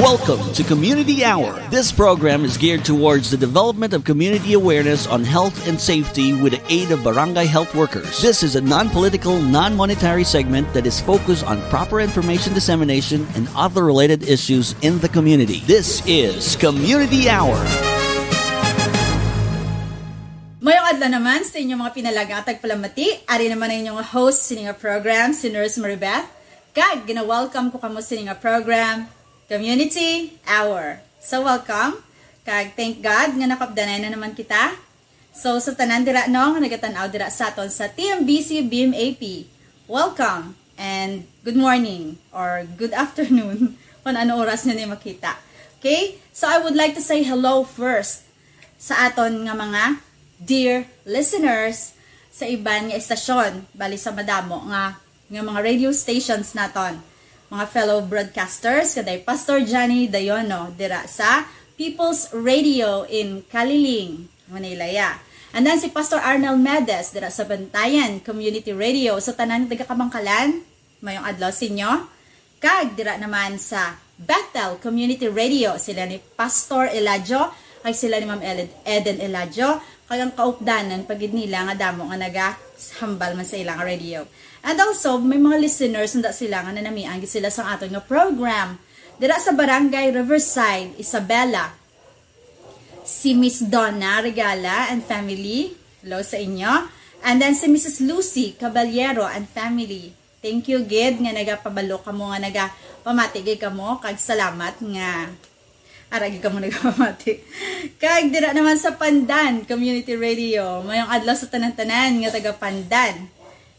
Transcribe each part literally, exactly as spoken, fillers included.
Welcome to Community Hour. This program is geared towards the development of community awareness on health and safety with the aid of barangay health workers. This is a non-political, non-monetary segment that is focused on proper information dissemination and other related issues in the community. This is Community Hour. Mayong adlaw naman sa inyong mga pinalangga at tagpalamati. Ari naman ang inyong host sini nga program, si Nurse Maribeth. Kag gina-welcome ko kamo sini nga program, Community Hour. So welcome. Kag thank God nga nakaupdanay na naman kita. So sa tanan dira no nga nagatan-aw dira sa aton sa T M B C B M A P, welcome and good morning or good afternoon kung ano oras niyo ni makita. Okay? So I would like to say hello first sa aton nga mga dear listeners sa iban nga estasyon, bali sa madamo nga nga mga radio stations naton, mga fellow broadcasters, kaday Pastor Johnny Dayono dira sa People's Radio in Caliling, Manila, ya. And then si Pastor Arnel Medes dira sa Bantayan Community Radio. So tanan taga Kamankalan, mayong adlaw sa inyo. Kag dira naman sa Bethel Community Radio, sila ni Pastor Eladio, ay sila ni Ma'am Ed- Eden Eladio, kag ang kaupdanan pagid nila nga damo nga nagahambal man sa ilang radio. And also, may mga listeners nda sila nga nanamian gid sila sa aton nga program. Dira sa Barangay Riverside, Isabela, si Miss Donna Regala and family. Hello sa inyo. And then si Missus Lucy Caballero and family. Thank you gid nga nagapabalo kamo nga nagapamati gid kamo kag salamat nga ara gid kamo nagapamati. Kag dira naman sa Pandan Community Radio, mayong adlaw sa tanan-tanan nga taga Pandan.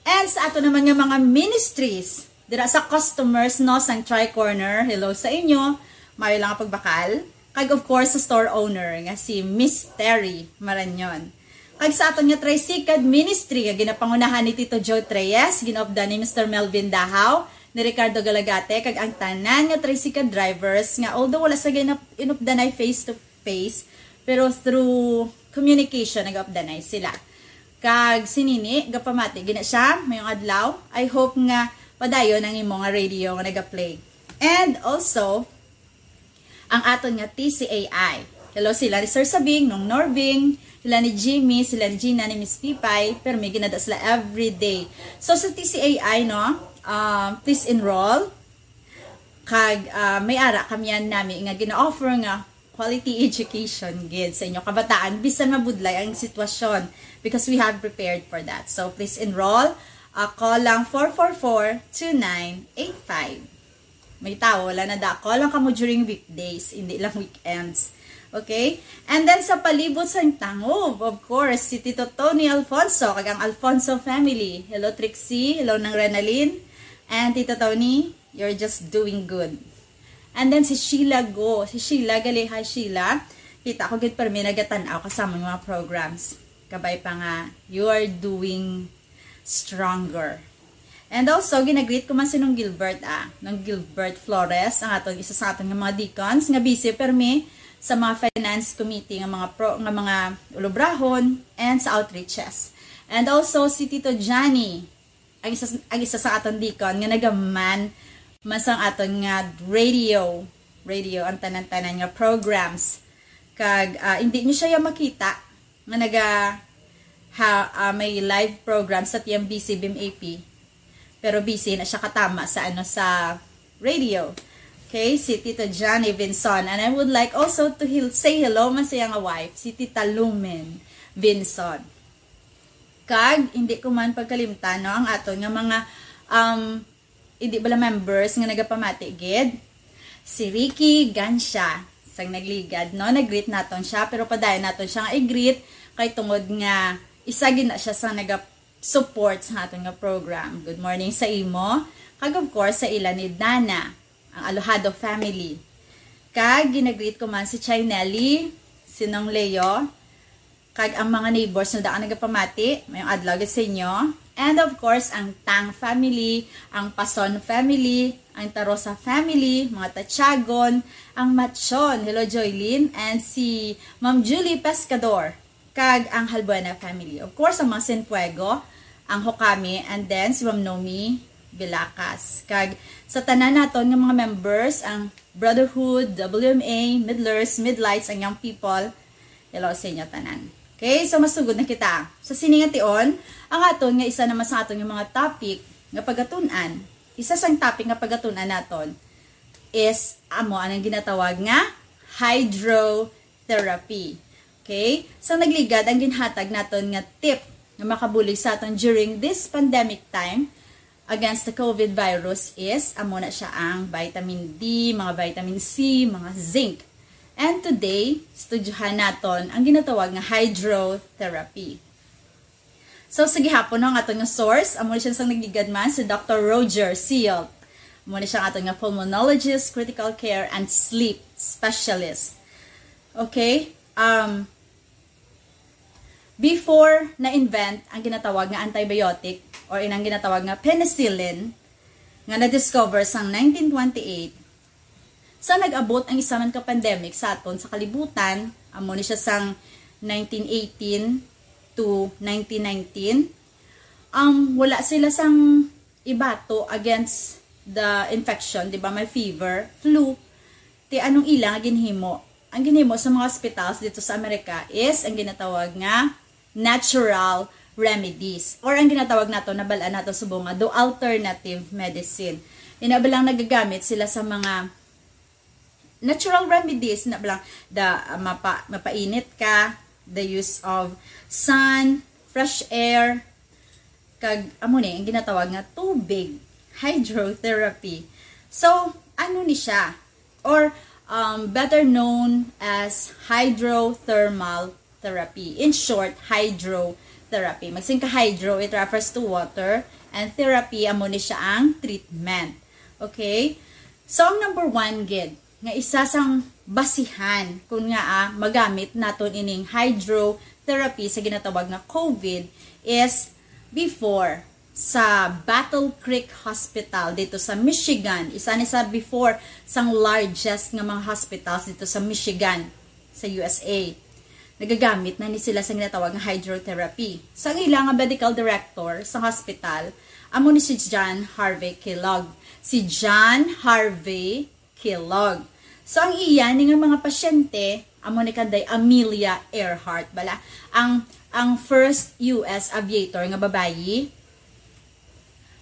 And sa ato naman nga mga ministries, dira sa customers no sang Tri Corner, hello sa inyo. Mayo lang ang pagbakal. Kag of course sa store owner nga si Miss Terry Maranyon. Kag sa aton nga Tricycad Ministry nga ginapangunahan ni Tito Joe Treyes, ginaupdan ni Mister Melvin Dahaw, ni Ricardo Galagate, kag ang tanan nga Tricycad drivers nga although wala sa ginap- inupdanay face to face, pero through communication nagaupdanay sila. Kag sinini gapamati gina siya mayong adlaw. I hope nga padayon ang imo nga radio nga nagaplay. And also, ang aton nga T C A I. Hello, sila ni Sir Sabing, Nong Norbing, sila ni Jimmy, sila ni Gina, ni Miss Pipay, pero may ginada sila everyday. So sa T C A I, no, um, please enroll. Kag uh, may ara kami yan nami nga gina-offer nga quality education gid sa inyo kabataan bisan mabudlay ang sitwasyon, because we have prepared for that. So please enroll. Uh, call lang four four four two nine eight five. May tawo wala na da. Call lang kamo during weekdays, hindi lang weekends. Okay? And then sa palibot sang tangob, of course, si Tito Tony Alfonso kag ang Alfonso family. Hello Trixie, hello Nang Renalyn, and Tito Tony. You're just doing good. And then si Sheila Go. Si Sheila, gali, hi Sheila. Kita ko gid permi nagatan-aw kasama yung mga programs. Kabay pa nga, you are doing stronger. And also, ginagreet ko man si Nong Gilbert, ah. Nong Gilbert Flores, ang aton, isa sa aton nga mga deacons, nga busy permi sa mga finance committee, nga mga pro, nga mga ulubrahon, and sa outreaches. And also, si Tito Johnny, ang isa, ang isa sa aton deacon nga nagaman man sang aton nga radio, radio ang tanan-tanan nga programs. Kag uh, hindi niyo siya makita nga naga ha, uh, may live program sa T M B C B M A P. Pero busy na siya katama sa ano sa radio. Okay, si Tito Johnny Vinson. And I would like also to heal, say hello man sa iyang wife, si Tita Lumen Vinson. Kag hindi ko man pagkalimtan no, ang aton nga mga um, hindi bala members nga nagapamati gid. Si Ricky Gansha, sang nagligad no, nag-greet naton siya, pero padayon naton siya nga i-greet kay tungod nga isa gid na siya sa naga-support sa aton nga program. Good morning sa imo. Kag of course sa ila ni Dana, ang Alojado family. Kag ginagreet ko man si Chay Nelly, si Nong Leo, kag ang mga neighbors nga daan nagapamati, mayong adlaw gid sa inyo. And of course, ang Tang family, ang Pason family, ang Tarosa family, mga Tatyagon, ang Matchon, hello Joylene, and si Ma'am Julie Pescador, kag ang Halbuena family. Of course, ang mga Sinfuego, ang Hokami, and then si Ma'am Nomi Bilacas. Kag sa tanan naton nga mga members, ang Brotherhood, W M A, Midlers, Midlights, ang Young People, hello sa inyo tanan. Okay, so masugod na kita. Sa sini nga tion, ang aton nga isa naman sa aton nga mga topic nga pagatun-an, isa sang topic nga pagatun-an naton is amo ang ginatawag nga hydrotherapy. Okay? So nagligad ang ginhatag naton nga tip nga makabulig sa aton during this pandemic time against the COVID virus is amo na siya ang vitamin D, mga vitamin C, mga zinc. And today, studyohan naton ang ginatawag nga hydrotherapy. So sa gihapon, no, ang aton nga source, amo ni siya sang nagligad man, si Doctor Roger Sealt. Amo ni siya ang aton nga pulmonologist, critical care, and sleep specialist. Okay? Um, before na-invent ang ginatawag nga antibiotic or inang ginatawag nga penicillin nga na-discover sang nineteen twenty-eight, sa nag-abot ang isa man ka pandemic sa aton sa kalibutan, amo ni siya sang nineteen eighteen to nineteen nineteen, um, wala sila sang ibato against the infection, di ba? May fever, flu. Ti anong ila nga ginhimo? Ang ginhimo sa mga hospitals dito sa Amerika is ang ginatawag nga natural remedies, or ang ginatawag nato, nabal-an nato subong nga do alternative medicine. Ina ba lang nagagamit sila sa mga natural remedies, na ba lang da, ah, mapa, mapainit ka, the use of sun, fresh air, kag amo ni ang ginatawag nga tubig, hydrotherapy. So ano ni siya? Or um, better known as hydrothermal therapy. In short, hydrotherapy. Magsin ka hydro, it refers to water, and therapy, amo ni siya ang treatment. Okay? So ang number one gid nga isa sang basihan kun nga, ah, magamit naton ining hydrotherapy sa ginatawag nga COVID is before sa Battle Creek Hospital dito sa Michigan. Isa ni sa before sang largest nga mga hospitals dito sa Michigan, sa U S A. Nagagamit na ni sila sa ginatawag nga hydrotherapy. Sa ila nga medical director sa hospital, amo ni si John Harvey Kellogg. Si John Harvey Kellogg. So ang iya ni nga mga pasyente, amo ni kanday Amelia Earhart, bala. Ang ang first U S aviator nga babayi.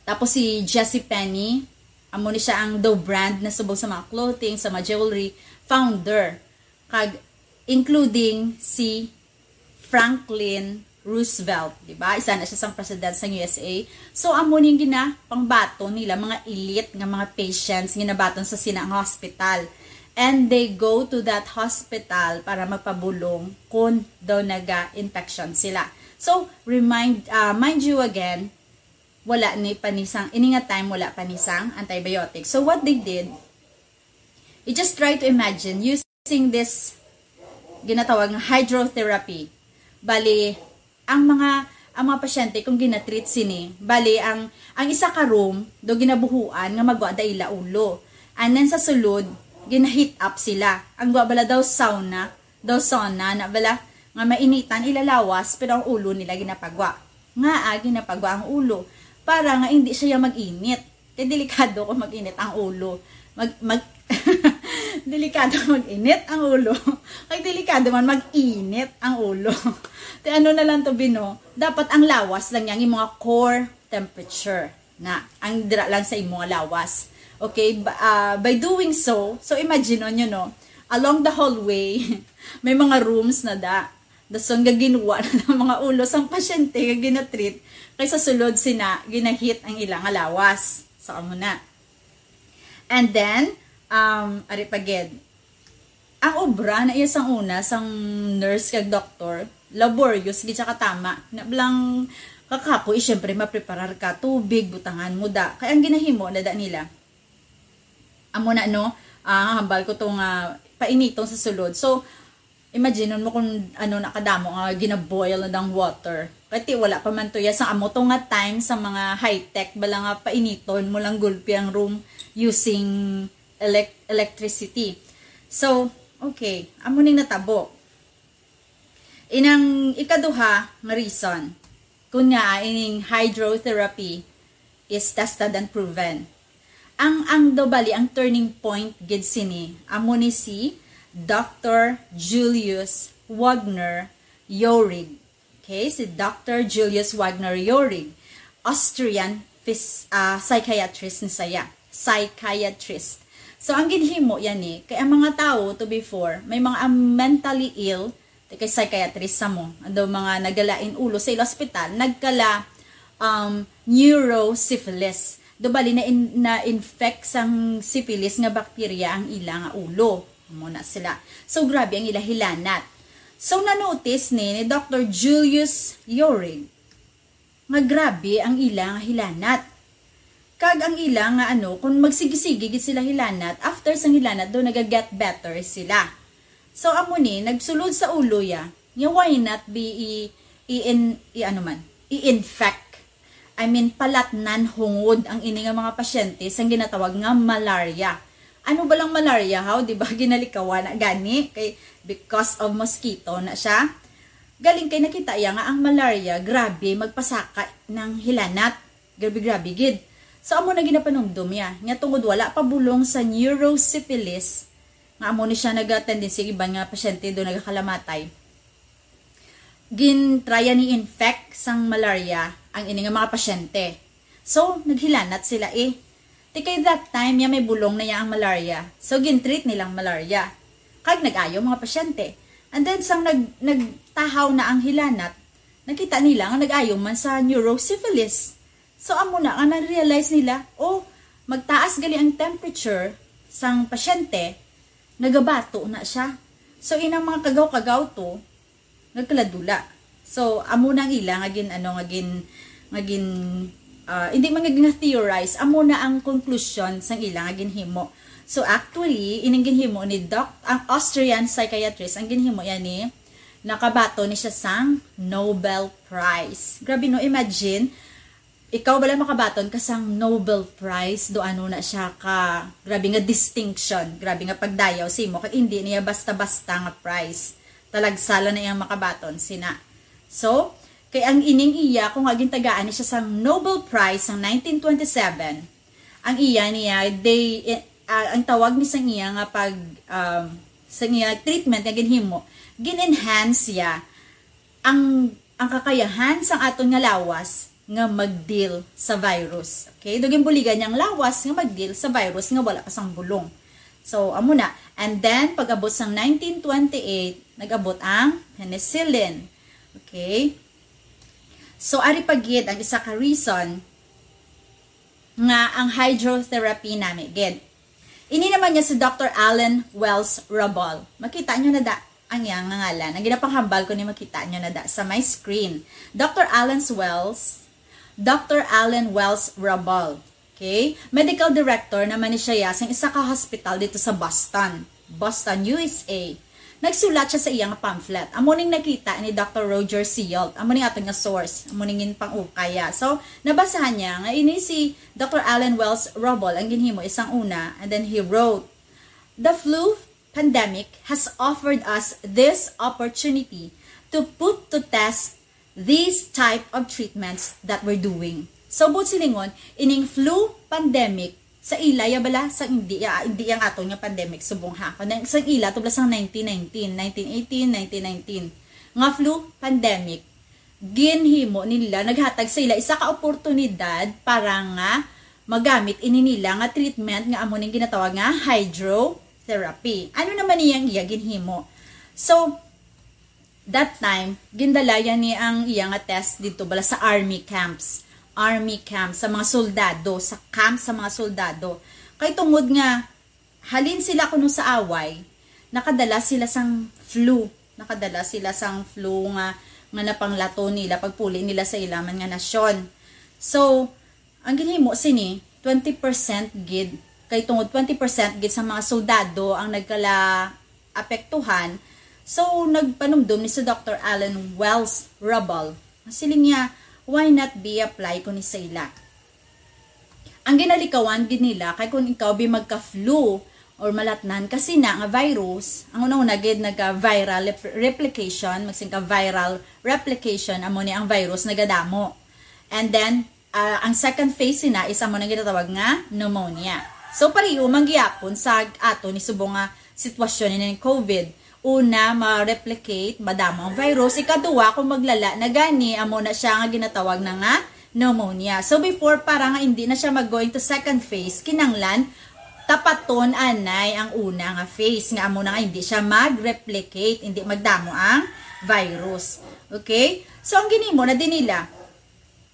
Tapos si Jessie Penny, amo ni siya ang daw brand na subong sa mga clothing, sa mga jewelry, founder. Kag including si Franklin Roosevelt, di ba? Isa na siya sang president sang U S A. So amo ning ginapangbaton nila mga elite nga mga patients ginabaton sa sina nga hospital. And they go to that hospital para magpabulong kung daw naga-infection sila. So remind, ah, mind you again, wala ni panisang, ini nga time wala panisang antibiotic. So what they did, you just try to imagine using this ginatawag nga hydrotherapy. Bali, ang mga ang mga pasyente kung ginatreat sini, bali ang ang isa ka room do ginabuhuan nga magwa da ila ulo. And then sa sulod, gina-heat up sila. Ang gwa bala daw sauna, daw sauna na bala nga mainitan ila lawas, pero ang ulo nila ginapagwa. Nga ah, ginapagwa ang ulo para nga hindi siya mag-init. Kay delikado kung mag-init ang ulo. Mag, mag, delikado mag-init ang ulo. Kay delikado man mag-init ang ulo. Ti ano na lang to, Bino? Dapat ang lawas lang yang mga core temperature na ang dira lang sa imo nga lawas. Okay, ba- ah, by doing so, so imagine nyo, no, along the hallway, may mga rooms na da. Dason nga ginwa na ang mga ulo sang pasyente nga ginatreat, kay sa sulod sina ginahit ang ila nga lawas. So amo na. And then, um, ari pa gid, ang obra na iya sang una sang nurse kag doktor, laborious gid siya katama. Na lang kakapoy, syempre mapreparar ka, tubig, butangan mo da. Kay ang ginahimo na da nila, amo na, no, ah, hambal ko to nga painiton sa sulod. So imagine mo kung ano na kadamo nga ginaboil na dang water. Kay ti wala pa man to ya sa amo to nga time sa mga high-tech, bala nga painiton mo lang gulpi ang room using elec- electricity. So okay, amo ning natabo. Inang ikaduha nga reason, kun nga ining hydrotherapy is tested and proven. Ang, ang daw bali, ang turning point gid sini, amo ni si Doctor Julius Wagner Yorig. Okay, si Doctor Julius Wagner Yorig, Austrian phys-, ah, psychiatrist ni saya. Psychiatrist. So, ang ginhimo yan eh, kay ang mga tao, to be fair, may mga mentally ill, kay psychiatrist sa mo. Ang daw mga nagalain ulo sa ila ospital, nagkala, um, neurosyphilis. Do bali na in-, na-infect sang syphilis nga bakterya ang ila nga ulo. Amo na sila. So, grabe ang ila hilanat. So, na-notice ni, ni Doctor Julius Yorig nga grabe ang ila nga hilanat. Kag ang ila nga ano, kung magsigi-sige gid sila hilanat, after sang hilanat, do naga-get better sila. So, amo ni, nagsulod sa ulo ya, nga why not be i, i, in, i ano man, i-infect. I mean, palatnan hungod ang ini nga mga pasyente sang ginatawag nga malaria. Ano ba lang malaria, haw? Di ba ginalikawan na gani? Kay because of mosquito na siya. Galing kay nakita iya nga ang malaria, grabe, magpasaka ng hilanat. Grabe-grabe gid. So, amo na ginapanumdom niya, nga tungod wala pa bulong sa neurosyphilis, nga amo ni siya naga-tendency, iban nga pasyente do nagakalamatay, gintraya ni infect sang malaria ang ini nga mga pasyente. So, naghilanat sila eh. Ti kay that time, ya may bulong na ya ang malaria. So, gintreat nilang malaria. Kag nag-ayo mga pasyente. And then, sang nag, nagtahaw na ang hilanat, nakita nila nga nag-ayo man sa neurosyphilis. So, amo na nga na-realize nila, oh, magtaas gali ang temperature sang pasyente, nagabato na siya. So, inang mga kagaw-kagaw to, nagkaladula. So, amo na ang ila nga gin, ano, nga gin, nga gin, ah, hindi man nga gin-theorize, amo na ang conclusion sang ila nga ginhimo. So, actually, ining ginhimo ni Doc, ang Austrian psychiatrist, ang ginhimo yan ni, nakabaton ni siya sang Nobel Prize. Grabe, no? Imagine, ikaw bala makabaton ka sang Nobel Prize, do ano na siya ka, grabe nga distinction, grabe nga pagdayaw sa imo, kag hindi niya basta-basta nga prize. Talagsala na iyang makabaton, sina. So, kay ang ining iya, kung nga gintagaan ni siya sang Nobel Prize sang nineteen twenty-seven, ang iya niya, they, eh, ah, ang tawag ni sang iya nga pag, um, sang iya treatment nga ginhimo, gin-enhance siya ang, ang kakayahan sang aton nga lawas nga mag-deal sa virus. Okay? Dugin buligan niyang lawas nga mag-deal sa virus nga wala pa sang bulong. So, amo na. And then, pag-abot sang nineteen twenty-eight, nag-abot ang penicillin. Okay? So, ari pa gid ang isa ka reason nga ang hydrotherapy nami gid. Ini naman niya si Doctor Alan Wells Rubble. Makita nyo na da ang iyang ngalan. Ang ginapanghambal ko ni makita nyo na da sa my screen. Doctor Alan Wells, Doctor Alan Wells Rubble. Okay? Medical director naman ni siya ya sang isa ka hospital dito sa Boston. Boston, U S A. Nagsulat siya sa iya nga pamphlet. Amo ning nakita ni Doctor Roger Seault. Amo ning aton nga source. Amo ning ginpang-ukay ya. So, nabasahan niya nga ini si Doctor Alan Wells Rubble ang ginhimo isang una, and then he wrote, "The flu pandemic has offered us this opportunity to put to test these type of treatments that we're doing." So, buot silingon, ining flu pandemic, sa ila ya bala, sa hindi ya, hindi yang aton nga pandemic, subong ha. Kundi sa ila, to bala sang nineteen nineteen, nineteen eighteen, nineteen nineteen, nga flu pandemic, ginhimo nila, naghatag sa ila isa ka oportunidad para nga magamit ini nila nga treatment nga amo ning ginatawag nga hydrotherapy. Ano naman iyang iya ginhimo? So, that time, gindala ya ni ang iya nga test dito bala sa army camps. Army camps, sa mga soldado, sa camp sa mga soldado. Kay tungod nga halin sila kuno sa away, nakadala sila sang flu. Nakadala sila sang flu nga, nga napanglato nila pagpuli nila sa ila man nga nasyon. So, ang ginhimo sini, twenty percent gid. Kay tungod twenty percent gid sa mga soldado ang nagkala apektuhan, so nagpanumdom ni si Doctor Alan Wells Rubble. Siling niya, "Why not be apply ko ni sa ila?" Ang ginalikawan gid nila kay kung ikaw bi magka-flu or malatnan ka sina nga virus, ang una-una gid nagka-viral rep-, replication, magsing ka viral replication, amo ni ang virus nagadamo. And then, Ah, ang second phase sina is amo na ginatawag nga pneumonia. So, pareho man gihapon sa ato ni subong nga sitwasyon ni COVID. Una, ma-replicate, madamo ang virus. Ikaduha, kung maglala na gani, amo na siya nga ginatawag na nga pneumonia. So, before, para nga hindi na siya mag-go into second phase, kinanglan tapaton anay ang una nga phase, nga amo na nga hindi siya mag-replicate, hindi magdamo ang virus. Okay? So, ang ginimo na din nila,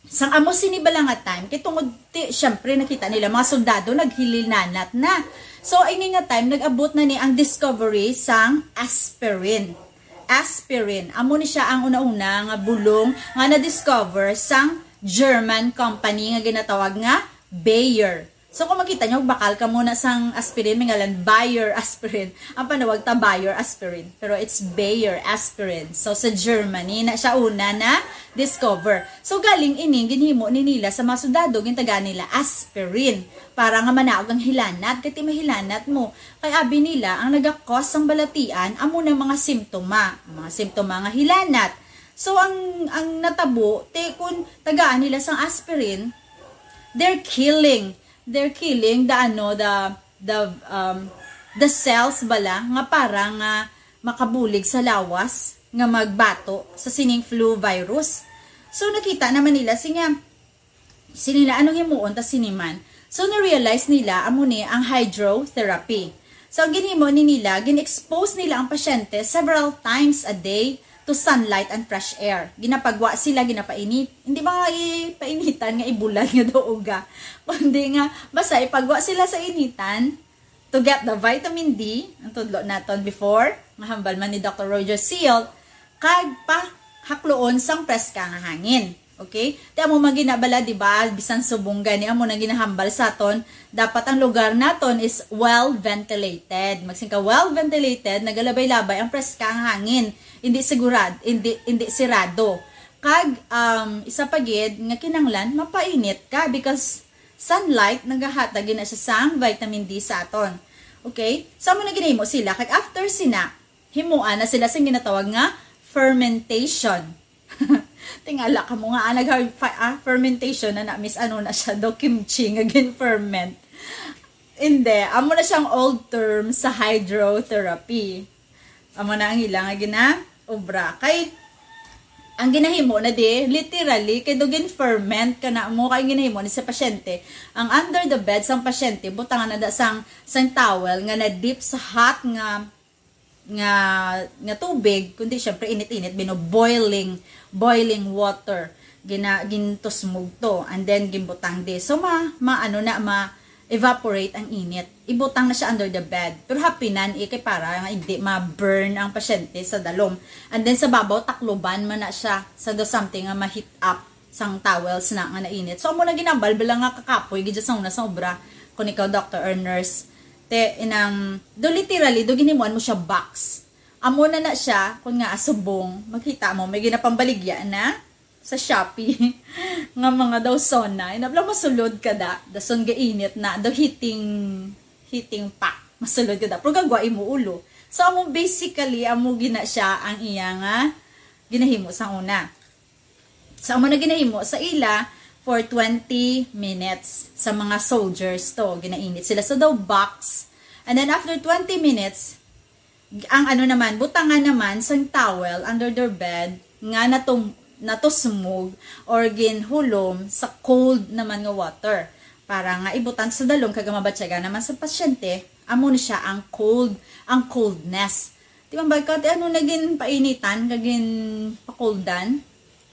sang amo sini bala nga time, kay tungod ti, syempre, nakita nila mga soldado naghilinanat na. So, ini nga time, nag-abot na ni ang discovery sang aspirin. Aspirin, amo ni siya ang una-una nga bulong nga na-discover sang German company nga ginatawag nga Bayer. So, kung makita nyo, bakal ka muna sang aspirin, may ngalan Bayer aspirin. Ang panawag ta Bayer aspirin, pero it's Bayer aspirin. So, sa Germany na siya una na discover. So, galing ini, ginhimo ni nila sa mga sundalo, gintagaan nila aspirin para nga manaog ang hilanat, kay ti mahilanat mo. Kay abi nila, ang nagakos sang balatian, amo na mga simptoma. Mga simptoma nga hilanat. So, ang, ang natabo, te, kung tagaan nila sang aspirin, they're killing, they're killing the, ano, the, the, um, the cells bala nga para nga makabulig sa lawas nga magbato sa sining flu virus. So, nakita naman nila, si nga, sini na, anong himuon ta sini man? So, na-realize nila, amo ni ang hydrotherapy. So, ang ginhimo ni nila, gin-expose nila ang pasyente several times a day to sunlight and fresh air. Ginapagwa sila, ginapainit. Hindi ba nga ipainitan nga ibulad nga daw uga? Kundi nga, basta ipagwa sila sa initan to get the vitamin D, ang tudlo naton before, nga hambal man ni Doctor Roger Seale, kag pahakloon sang preska nga hangin. Okay? Ti amo man ginabala, di ba? Bisan subong gani amo na ginahambal sa aton, dapat ang lugar naton is well ventilated. Magsing ka well ventilated, nagalabay-labay ang preska nga hangin. Hindi sigurad, hindi, hindi sirado. Kag, um, isa pa gid nga kinanglan, mapainit ka because sunlight nagahatag gina siya sang vitamin D sa aton. Okay? So, amo na ginahimo sila. Kag after sina, himuan na sila sing ginatawag nga fermentation. Tingala ka mo nga, ah, nag-, ah, fermentation na na, Miss, ano na siya, daw kimchi nga gin-ferment. Hindi, amo na siyang old term sa hydrotherapy. Amo na ang ila nga ginaobra. Kay, ang ginahimo na di, literally, kay do gin-ferment ka na mo, kay ginahimo ni sa pasyente. Ang under the bed sang pasyente, butangan na da sang, sang towel nga na-dip sa hot nga nga nga tubig, kundi syempre init-init, bino boiling, boiling water. Gina, gintusmog to, and then ginbutang di. So, ma, ma, ano na, ma-evaporate ang init. Ibutang na siya under the bed. Pero hapinan, eh, kay para nga hindi ma-burn ang pasyente sa dalom. And then sa babaw, takluban man na siya. Sa do something nga ma-heat up sang towels na nga nainit. So, amo na ginambal, bala nga kakapoy, gid sa una sa obra, kung ikaw doctor or nurse. Te, inang, do literally, do ginimuan mo siya box. Amo na na siya, kung nga asubong, makita mo, may ginapambaligya na sa Shopee nga mga daw sauna. Inabla, masulod ka da, dason gainit na, do heating, heating pack. Masulod ka da, pero gagwa imo ulo. So, amo basically, amo gina siya ang iya nga ginahimo sa una. So, amo na ginahimo sa ila for twenty minutes sa mga soldiers to. Ginainit sila sa daw box. And then after twenty minutes, ang ano naman, butangan naman sang towel under their bed nga natum-, natusmog or ginhulom sa cold naman nga water. Para nga ibutang sa dalom kag mabatyagan naman sa pasyente, amo ni siya ang cold, ang coldness. Di ba, ba, kati ano naging painitan, naging pakuldan?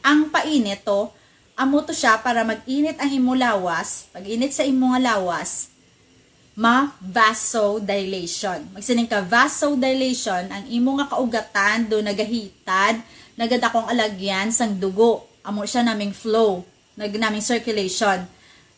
Ang painit to, amo to siya para mag-init ang imo lawas. Pag-init sa imo nga lawas, ma-vasodilation. Magsining ka, vasodilation, ang imo nga kaugatan do nagahitad, nagadakong alagyan sang dugo. Amo siya naming flow, nag-, naming circulation.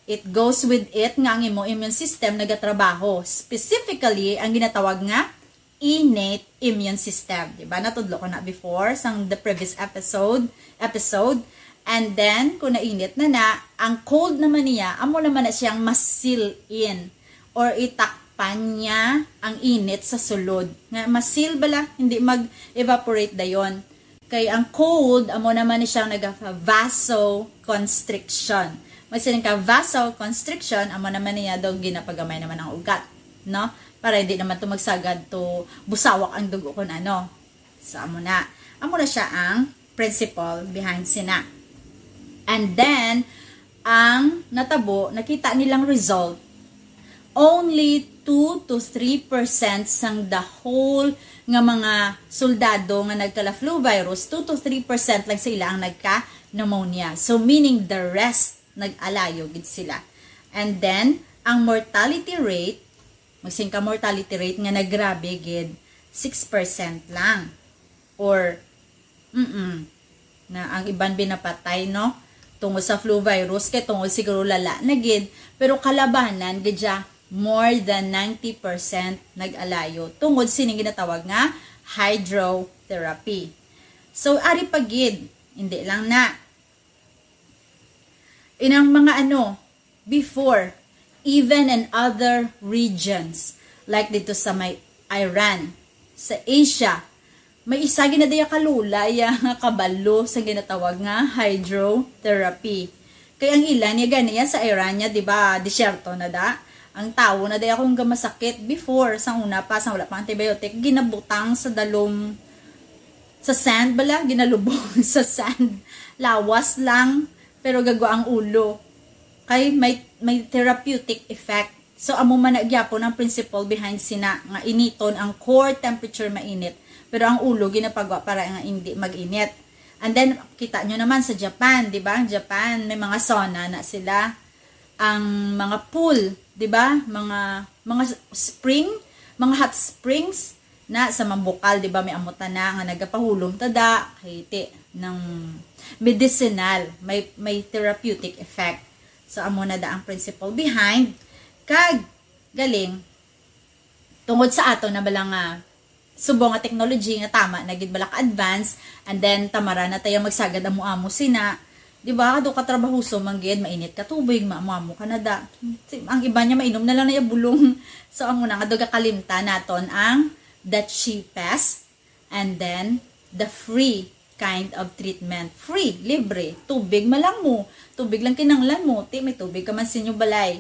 It goes with it nga ang imo immune system nagatrabaho. Specifically, ang ginatawag nga innate immune system. Di ba? Natudlo ko na before, sang the previous episode, episode. And then, kung nainit na na, ang cold naman niya, amo naman na siyang ma-seal in or itakpan niya ang init sa sulod. Nga ma-seal bala, hindi mag-evaporate dayon. Kay ang cold, amo naman ni siya naga-vasoconstriction. Magsiling ka vasoconstriction, amo naman niya daw ginapagamay naman ang ugat, no? Para hindi naman to magsagad to busawak ang dugo kun ano. So, amo na. Amo na siya ang principle behind sina. And then, ang natabo, nakita nilang result, only two to three percent sang the whole nga mga soldado nga nagkala flu virus, two to three percent lang sila ang nagka pneumonia. So, meaning the rest, nag-alayo gid sila. And then, ang mortality rate, magsiling ka mortality rate nga nagrabe gid, six percent lang. Or, mm na ang iban binapatay, no? Tungod sa flu virus, kay tungod siguro lala na gid, pero kalabanan gid siya, more than ninety percent nag-alayo tungod sining ginatawag nga hydrotherapy. So, ari pa gid, hindi lang na. Inang mga ano, before, even in other regions, like dito sa may Iran, sa Asia, may isa gina diya kalula ya nga kabalo sa ginatawag nga hydrotherapy. Kay ang ila niya ganiya sa Iran niya, di ba, disyerto na da. Ang tawo na diya kung gamasakit before, sa una pa, sa wala pa antibiotic, ginabutang sa dalom, sa sand bala, ginalubong sa sand. Lawas lang, pero gagwa ang ulo. Kay may, may therapeutic effect. So, amo man na gyapon ang principle behind sina nga initon ang core temperature mainit, pero ang ulo ginapagwa para nga hindi mag-init. And then, kita nyo naman sa Japan, di ba? Ang Japan, may mga sauna na sila. Ang mga pool, di ba? Mga, mga spring, mga hot springs na sa mambukal, di ba? May amo ta na nga nagapahulom tada, kay ti, ng medicinal, may, may therapeutic effect. So, amo na da ang principle behind. Kag, galing, tungod sa ato na bala nga subong nga technology nga tama na gid bala ka advance, and then tamara na tayo magsagad amo-amo sina, di ba? Kado ka trabahoso man gid, mainit ka tubig, maamo-amo ka na da. Si, ang iba niya mainom na lang na iya bulong. So, amo na nga, do gakalimtan naton ang the cheapest and then the free kind of treatment. Free, libre. Tubig man lang mo. Tubig lang kinanglan mo. Ti, may tubig ka man sa inyo balay.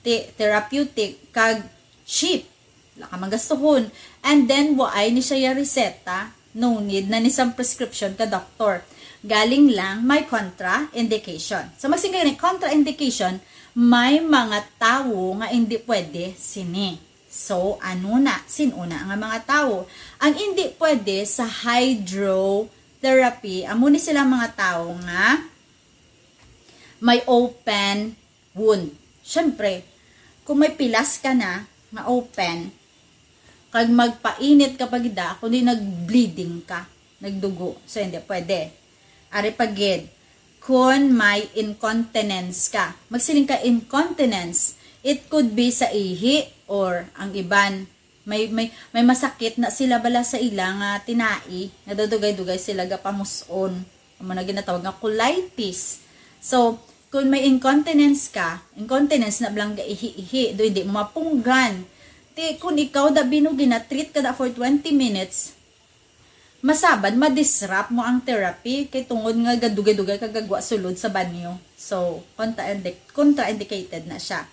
Ti, therapeutic, kag cheap. Wala ka magastuhon. And then, waay ni siya ya reseta. No need na ni sang prescription ka doctor. Galing lang, may contraindication. So, magsiling ka ni contraindication, may mga tawo nga hindi pwede sini. So, ano na? Sin-o na nga mga tawo? Ang hindi pwede sa hydrotherapy, amo ni sila mga tawo nga may open wound. Siyempre, kung may pilas ka na nga open, kag magpainit ka pa gid, kundi nag-bleeding ka, nagdugo. So, hindi pwede. Ari pa gid, kun may incontinence ka. Magsiling ka incontinence, it could be sa ihi or ang iban, may, may, may masakit na sila bala sa ila nga tinai, nga dudugay-dugay sila gapamus-on. Amo na ginatawag nga colitis. So, kung may incontinence ka, incontinence na bala nga ihi-ihi, do hindi mo mapunggan. Ti, kung ikaw da bino ginatreat ka da for twenty minutes, masabad, ma-disrupt mo ang therapy, kay tungod nga gadugay-dugay ka gagwa sulod sa banyo. So, contraindic-, contraindicated na siya.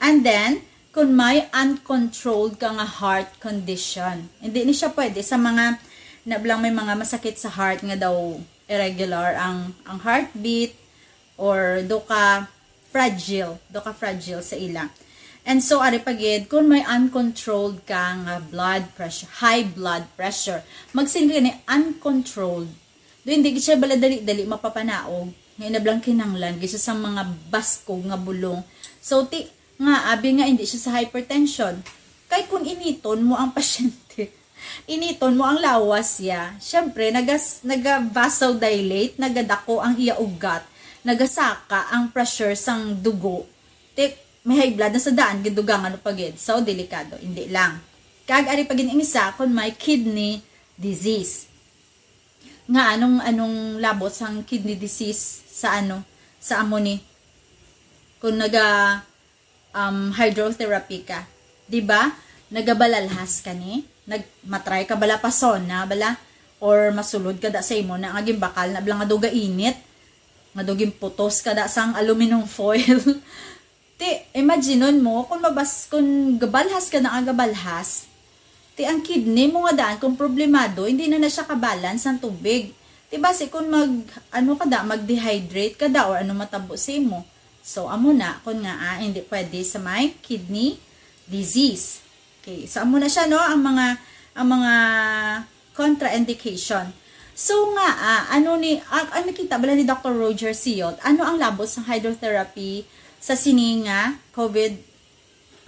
And then, kung may uncontrolled ka nga heart condition, hindi ni siya pwede sa mga, na bala may mga masakit sa heart nga daw irregular ang, ang heartbeat, or do ka fragile, do ka fragile sa ila. And so, ari pa gid, kung may uncontrolled ka nga blood pressure, high blood pressure, magsiling ka ni uncontrolled, do hindi gid siya bala dali-dali mapapanaog, nga ina bala kinanglan gid siya sa mga baskog nga bulong. So, ti, nga, abi nga hindi siya sa hypertension. Kay kung initon mo ang pasyente, initon mo ang lawas siya, syempre, nagas-, naga-vasodilate, nagadako ang iya ugat, nagasaka ang pressure sang dugo. Ti, may high blood na sa daan, gidugangan pa gid. So, delikado, hindi lang. Kag ari pa gid ang isa, kung may kidney disease. Nga anong, anong labot sang kidney disease sa ano, sa amo ni? Kung naga, um, hydrotherapy ka, di ba? Nagabalalhas ka ni? Nag-, matry ka bala pa sauna, bala? Or masulod ka da sa imo na nga gimbakal na bala nga daw gainit, nga daw ginputos ka da sang aluminum foil. Ti, imaginon mo, kung mabas-, kung gabalhas ka na nga gabalhas, ti ang kidney mo nga daan kung problemado, hindi na na siya kabalance ang tubig. Ti basi kung mag, ano ka da, mag-dehydrate ka da, or ano matabo sa imo. So, amo na, kung nga, ah, hindi pwede sa may kidney disease. Okay, so amo na siya, no, ang mga, ang mga contraindication. So nga, ah, ano ni, ah, ang nakita bala ni Doctor Roger Siot, ano ang labot sa hydrotherapy sa sini nga COVID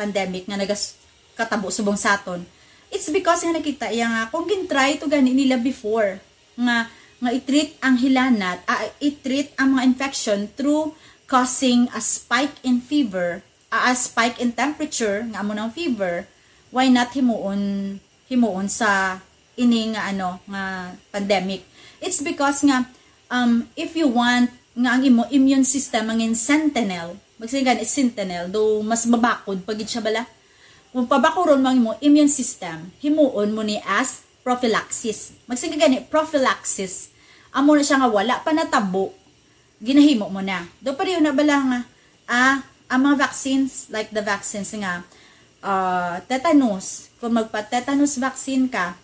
pandemic nga nagas-, katabo subong sa aton? It's because nga nakita iya nga kung gin-try to gani nila before nga, nga i-treat ang hilanat, ah, i-treat ang mga infection through causing a spike in fever, ah, a spike in temperature, nga amo nang fever, why not himuon, himuon sa ini nga, ano, nga pandemic? It's because nga, um, if you want nga ang imo immune system mangin sentinel, magsiling gani sentinel, do mas mabakod pa gid siya bala. Kung pabakuron mo ang imo immune system, himuon mo ni as prophylaxis. Magsiling gani prophylaxis, amo na siya nga wala pa natabo, ginahimo mo na. Do pareho na bala nga, ah, ang mga vaccines, like the vaccines nga, ah, tetanus, kung magpa-tetanus vaccine ka,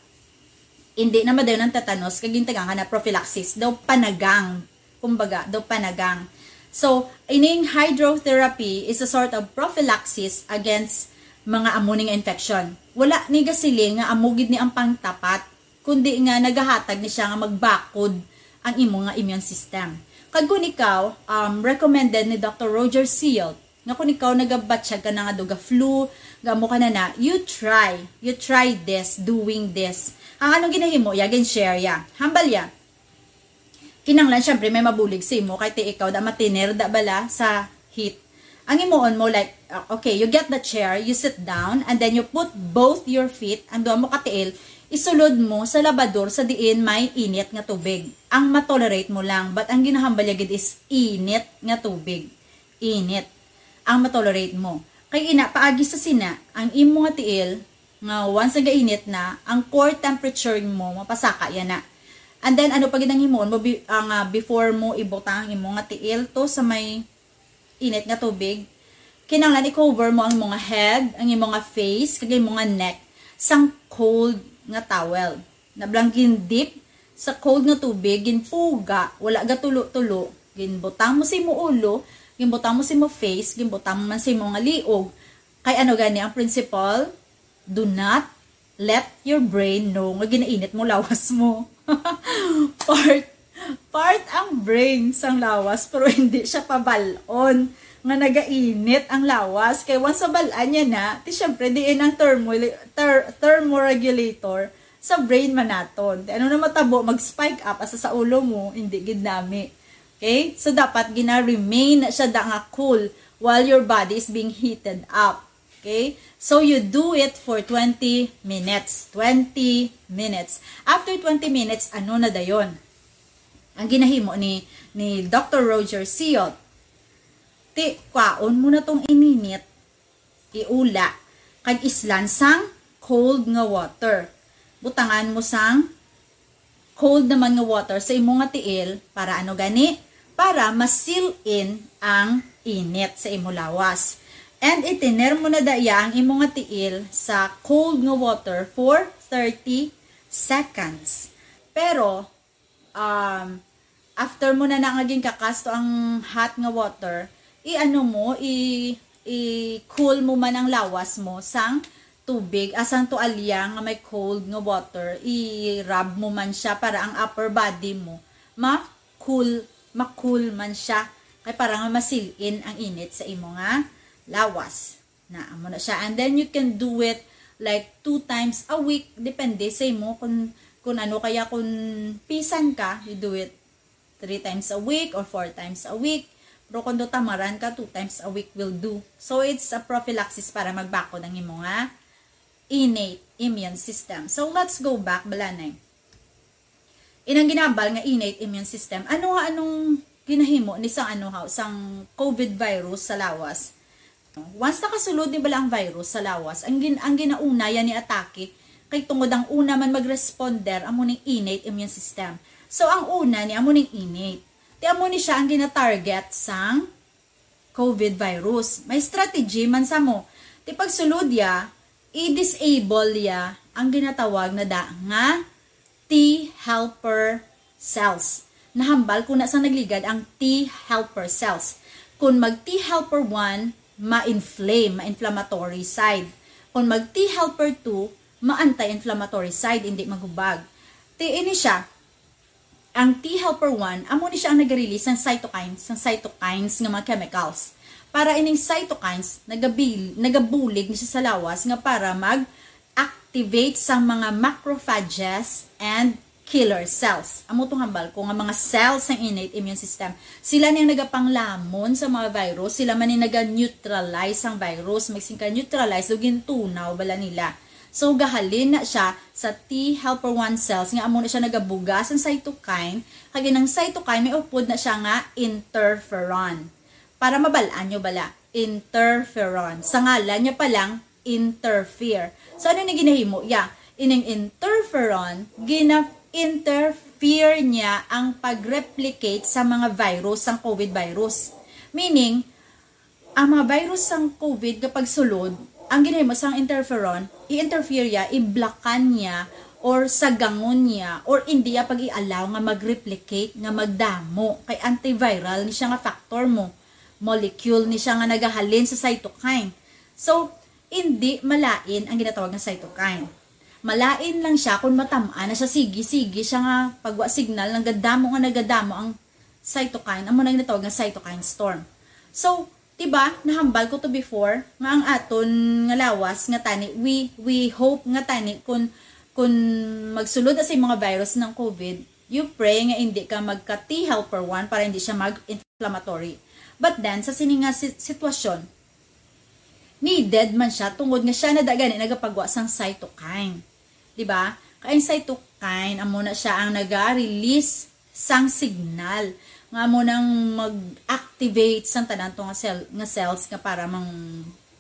hindi na madayon ang tetanus, kay gintagaan ka na prophylaxis, daw panagang, kumbaga, daw panagang. So, ining hydrotherapy is a sort of prophylaxis against mga amo ni nga infection. Wala ni gasiling nga amo gid ni ang pangtapat, kundi nga nagahatag ni siya nga magbakod ang imo nga immune system. Kag kung ikaw, um, recommended ni Doctor Roger Sealt nga kung ikaw nagabatyag ka na nga daw ga-flu, ga-amo ka na na, you try, you try this, doing this. Ang anong ginahimo, ya, gin-share ya. Hambal ya. Kinahanglan, syempre, may mabulig sa imo, kay ti ikaw da matiner da bala sa heat. Ang himuon mo, like, uh, okay, you get the chair, you sit down, and then you put both your feet, ang duha mo ka tiil, isulod mo sa labador sa diin may init nga tubig. Ang matolerate mo lang, but ang ginahambal ya gid is init nga tubig. Init ang matolerate mo. Kay ina, paagi sa sina, ang imo nga tiil, nga once nagainit na, ang core temperature mo mapasaka ya na. And then, ano pa gid ang himuon mo, bi-, ang, ah, before mo ibutang ang imo nga tiil to sa may init nga tubig, kinahanglan i-cover mo ang imo nga head, ang imo nga face, kag imo nga neck sang cold nga towel. Na bala nga gin-dip sa cold nga tubig, ginpuga, wala gatulo-tulo, ginbutang mo sa imo ulo, ginbutang mo sa imo face, ginbutang mo man sa imo nga liog. Kay ano gani ang principle? Do not let your brain know nga ginainit mo lawas mo. Part, part ang brain sang lawas, pero hindi siya pabal-on nga nagainit ang lawas. Kay once mabal-an niya na, ti syempre, diin ang thermo-, ther-, thermoregulator sa brain man naton. Ti ano na matabo, mag-spike up asa sa ulo mo, hindi gid nami. Okay? So, dapat gina-remain na siya da nga cool while your body is being heated up. Okay? So, you do it for twenty minutes. Twenty minutes. After twenty minutes, ano na dayon? Ang ginahimo ni, ni Doctor Roger Sealt, ti, kwaon mo na tong ininit, iula, kag islan sang cold nga water. Butangan mo sang cold naman nga water sa imo nga tiil para ano gani? Para ma-seal in ang init sa imo lawas. And itiner mo na daya ang imo nga tiil sa cold nga water for thirty seconds. Pero, um, after mo na na nga ginkakasto ang hot nga water, i-ano mo, i-, i-cool mo man ang lawas mo sang tubig, asang tualya nga may cold nga water, i-rub mo man siya para ang upper body mo ma-cool, ma-cool man siya. Kay para nga ma-seal in ang init sa imo nga lawas. Na, amo na siya. And then you can do it like two times a week. Depende sa imo kung, kung ano kaya, kung pisan ka, you do it three times a week or four times a week. Pero kung do tamaran ka, two times a week will do. So, it's a prophylaxis para magbakod ang imo nga innate immune system. So, let's go back, balanay. Inang ginabal nga innate immune system. Ano nga, anong ginahimo ni sang ano haw, sang COVID virus sa lawas? Once nakasulod ni bala ang virus sa lawas, ang gin-, ang ginauna yan ni atake, Kay tungod ang una man mag-responder, amo ning innate immune system. So, ang una ni amo ning innate. Ti amo ni siya ang gina-target sang COVID virus. May strategy man sa mo. Ti pagsulod ya, i-disable ya ang ginatawag na da nga T helper cells. Nahambal ko na sa nagligad ang T helper cells. Kung mag T helper one, ma-inflame, ma-inflammatory side. Kung mag T helper two, ma-anti-inflammatory side, hindi maghubag. Ti ini siya, ang T helper one, amo ni siya ang nag-release ng cytokines, ng cytokines nga mga chemicals. Para ining cytokines, nagabil, nagabulig ni siya sa lawas nga para mag-activate sa mga macrophages and killer cells. Amo tong hambal ko nga mga cells sang innate immune system. Sila ni ang nagapanglamon sa mga virus, sila man ni naga-neutralize sang virus, magsingka neutralize, o gintunaw bala nila. So, gahalin na siya sa T helper one cells, nga amo na siya nagabuga sang cytokine, kag inang cytokine may upod na siya nga interferon. Para mabal-an nyo bala, interferon. Sa ngalan niya pa lang, interfere. So, ano ni ginahimo? Ya, ining interferon, gina-interfere niya ang pag-replicate sa mga virus, sang COVID virus. Meaning, ang mga virus sang COVID nga pagsulod, ang ginahimo sang interferon, i-interfere ya, iblakan niya, or sagangon niya, or hindi ya pag-i-allow nga mag-replicate, nga magdamo. Kay antiviral ni siya nga factor mo. Molecule ni siya nga nagahalin sa cytokine. So, hindi malain ang ginatawag nga cytokine. Malain lang siya kung matam-an na siya, sige, sige siya nga pagwa signal, nagadamo nga nagadamo ang cytokine, amo na ginatawag nga cytokine storm. So, diba, nahambal ko to before, nga ang aton nga lawas nga tani, we, we hope nga tani kung, kung magsulod na sa mga virus ng COVID, you pray nga hindi ka magka T helper one para hindi siya mag-inflammatory. But then, sa sini nga si- sitwasyon, needed man siya tungod nga siya na da gani nagapagwa sang cytokine. Di ba? Kay ang cytokine, amo na siya ang naga-release sang signal nga amo nang mag-activate sang tanan to nga, cell, nga cells nga para mang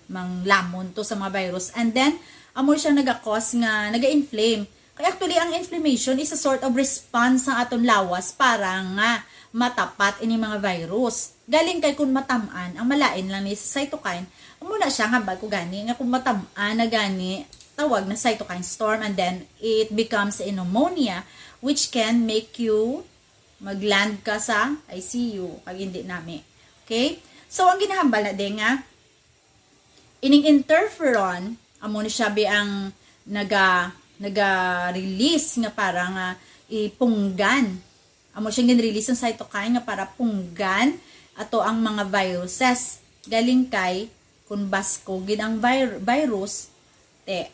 manglamon to sa mga virus. And then, amo siya naga-cause nga naga-inflame. Kay actually, ang inflammation is a sort of response sa aton lawas para nga matapat ini mga virus. Galing kay kung matam-an, ang malain lang ni sa cytokine, amo na siya nga bago gani, nga kung matam-an na gani, tawag na cytokine storm, and then it becomes a pneumonia, which can make you mag-land ka sa I C U, pag hindi nami. Okay? So, ang ginahambal na din nga, ining interferon, amo ni siya bi ang naga, naga-release nga para nga ipunggan. Amo siyang gin-release ang cytokine nga para punggan ato ang mga viruses. Galing kay, kung basko gid ang vir- virus, te,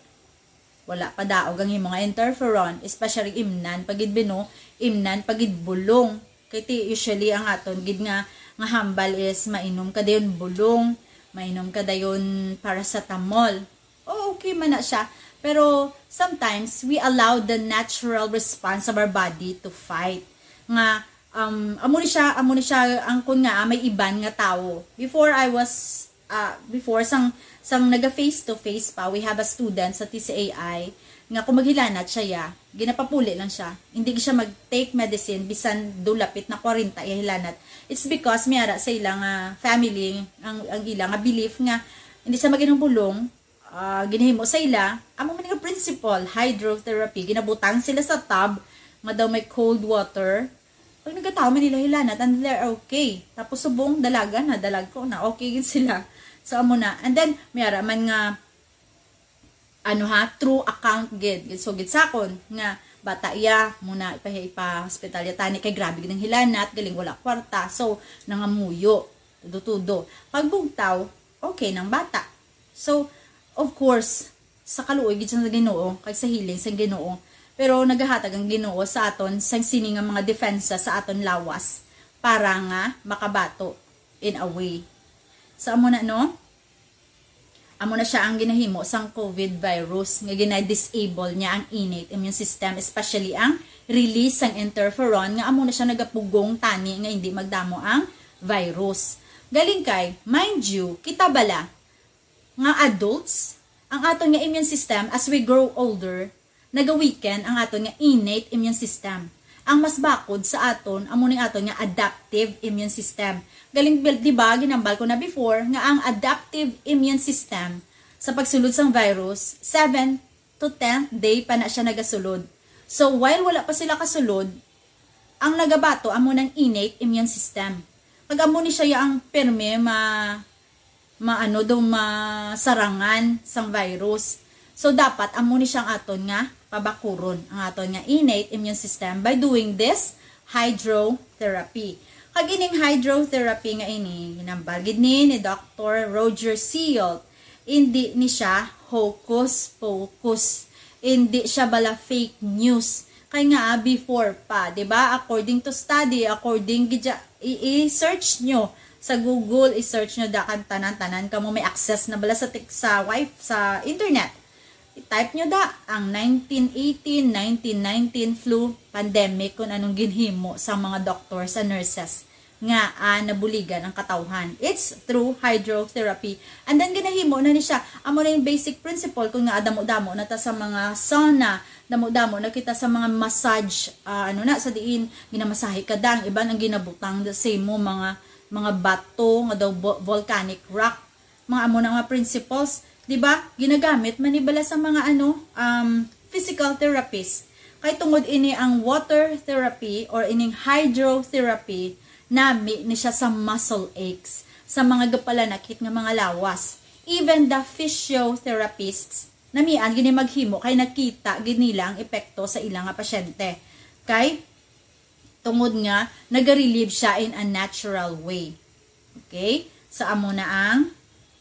wala pa daog ang imo nga interferon, especially imnan pa gid bino, imnan pa gid bulong. Kay ti, usually ang aton gid nga, nga hambal is mainom ka dayon bulong, mainom ka dayon paracetamol. O, okay man na siya. Pero sometimes, we allow the natural response of our body to fight. Nga, um, amo ni siya, amo ni siya ang kun nga, ah, may iban nga tawo. Before I was, ah, before, sang, sang naga face to face pa, we have a student sa T C A I nga kung maghilanat siya, ya, ginapapuli lang siya. Hindi siya mag-take medicine, bisan do lapit na kwarenta iya hilanat. It's because may ara sa ila nga family, ang, ang ila nga belief nga hindi sa mag-inom bulong, ah, ginahimo sa ila, amo man nga principle, hydrotherapy, ginabutang sila sa tub nga daw may cold water. Pag nagatawo man nila hilanat, and they're okay. Tapos subong, dalaga na, dalagko na, okay gid sila. So, amo na. And then, may ara man nga, ano ha, true account gid. So, gid sakon nga bata iya, muna ipa, ipa-hospital ya tani kay grabe gid ang hilanat, galing wala kwarta. So, nangamuyo, tudo-tudo. Pagbugtaw, okay nang bata. So, of course, sa kaluoy gid sa Ginoo, kag sa healing sa Ginoo, pero nagahatag ang Ginoo sa aton sang sini nga mga depensa sa aton lawas para nga makabato in a way. So, amo na, no? Amo na siya ang ginahimo sang COVID virus nga gina-disable niya ang innate immune system, especially ang release sang interferon nga amo na siya nagapugong tani nga hindi magdamo ang virus. Galing kay, mind you, kita bala nga adults, ang aton nga immune system as we grow older, naga-weaken ang aton nga innate immune system. Ang mas bakod sa aton, amo ning aton nga adaptive immune system. Galing, di ba, ginambal ko na before nga ang adaptive immune system sa pagsulod sang virus, seven to tenth day pa na siya nagasulod. So, while wala pa sila kasulod, ang nagabato amo nang innate immune system. Kag amo ni siya ang pirme ma maano do masarangan sang virus. So, dapat amo ni siyang aton nga pabakuron, ang aton nga innate immune system, by doing this hydrotherapy. Kag ining hydrotherapy nga ini, ginambal gid ni, ni Doctor Roger Sealt, hindi ni siya hocus pocus. Hindi siya bala fake news. Kay nga, ah, before pa, di ba? According to study, according gid siya, i- i-search nyo sa Google, i-search nyo da kan tanan-tanan kamo may access na bala sa tik- sa wifi, sa internet. I-type nyo da ang nineteen eighteen, nineteen nineteen flu pandemic, kung anong ginhimo sa mga doktor, sa nurses nga, ah, nabuligan ang katawhan. It's through hydrotherapy. And then, ginahimo na ni siya. Amo na yung basic principle kung nga damo-damo na ta sa mga sauna, damo-damo na kita sa mga massage, ah, ano na, sa diin, ginamasahe ka dang, iban ang ginabutang sa imo, mga, mga bato, nga daw vo-, volcanic rock. Mga amo na nga principles, di ba? Ginagamit man ni bala sa mga, ano, um, physical therapist. Kay tungod ini ang water therapy or ining hydrotherapy, nami ni siya sa muscle aches, sa mga gapalanakit nga mga lawas. Even the physiotherapists, namian gini maghimo kay nakita gid nila ang epekto sa ila nga pasyente. Kay tungod nga naga-relieve siya in a natural way. Okay? So, amo na ang